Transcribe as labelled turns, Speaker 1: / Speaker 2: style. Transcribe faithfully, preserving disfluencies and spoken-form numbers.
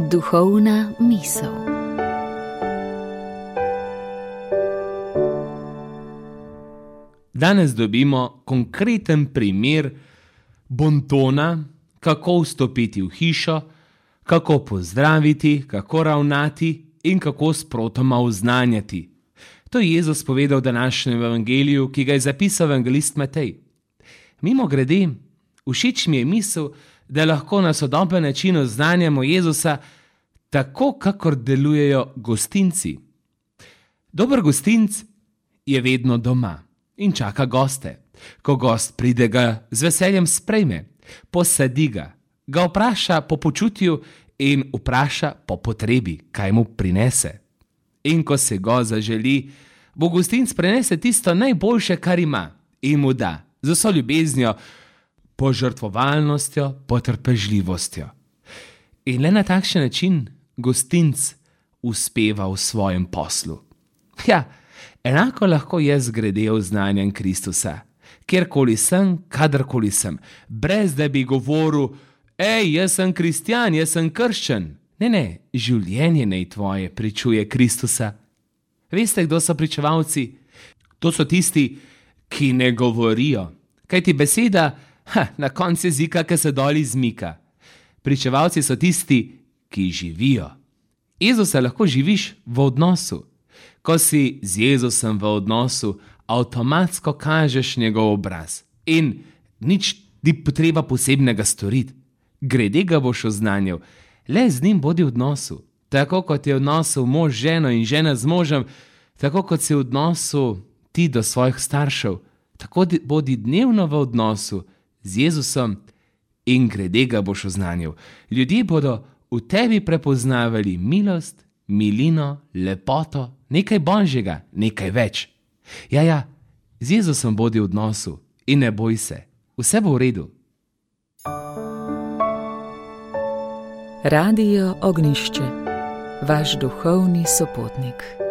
Speaker 1: Duhovna misel.
Speaker 2: Danes dobimo konkreten primer bontona, kako vstopiti v hišo, kako pozdraviti, kako ravnati in kako sprotoma oznanjati. To je Jezus povedal v današnjem evangeliju, ki ga je zapisal evangelist Matej. Mimogrede, všeč mi je misel, da lahko na sodoben način oznanjamo Jezusa tako, kakor delujejo gostinci. Dober gostinc je vedno doma in čaka goste. Ko gost pride, ga z veseljem sprejme, posadi ga, ga vpraša po počutju in vpraša po potrebi, kaj mu prinese. In ko se gost zaželi, bo gostinc prinese tisto najboljše, kar ima, in mu da, z vso ljubeznijo, požrtvovalnostjo, potrpežljivostjo. In le na takšen način gostinc uspeva v svojem poslu. Ja, enako lahko jaz grede oznanjam Kristusa, kjerkoli sem, kadarkoli sem, brez da bi govoril, ej, jaz sem kristjan, jaz sem krščen. Ne, ne, življenje naj tvoje pričuje Kristusa. Veste, kdo so pričevalci? To so tisti, ki ne govorijo. Kajti beseda, ha, na koncu jezika, ki se dol izmika. Pričevalci so tisti, ki živijo. Jezusa lahko živiš v odnosu. Ko si z Jezusem v odnosu, avtomatsko kažeš njegov obraz. In nič ni potreba posebnega storiti. Grede ga boš oznanjal. Le z njim bodi v odnosu. Tako kot je v odnosu mož z ženo in žena z možem, tako kot si v odnosu ti do svojih staršev, tako bodi dnevno v odnosu z Jezusom in grede ga boš oznanjal. Ljudje bodo v tebi prepoznavali milost, milino, lepoto, nekaj božjega, nekaj več. Ja, ja, z Jezusom bodi v odnosu in ne boj se. Vse bo v redu.
Speaker 1: Radio Ognjišče, vaš duhovni sopotnik.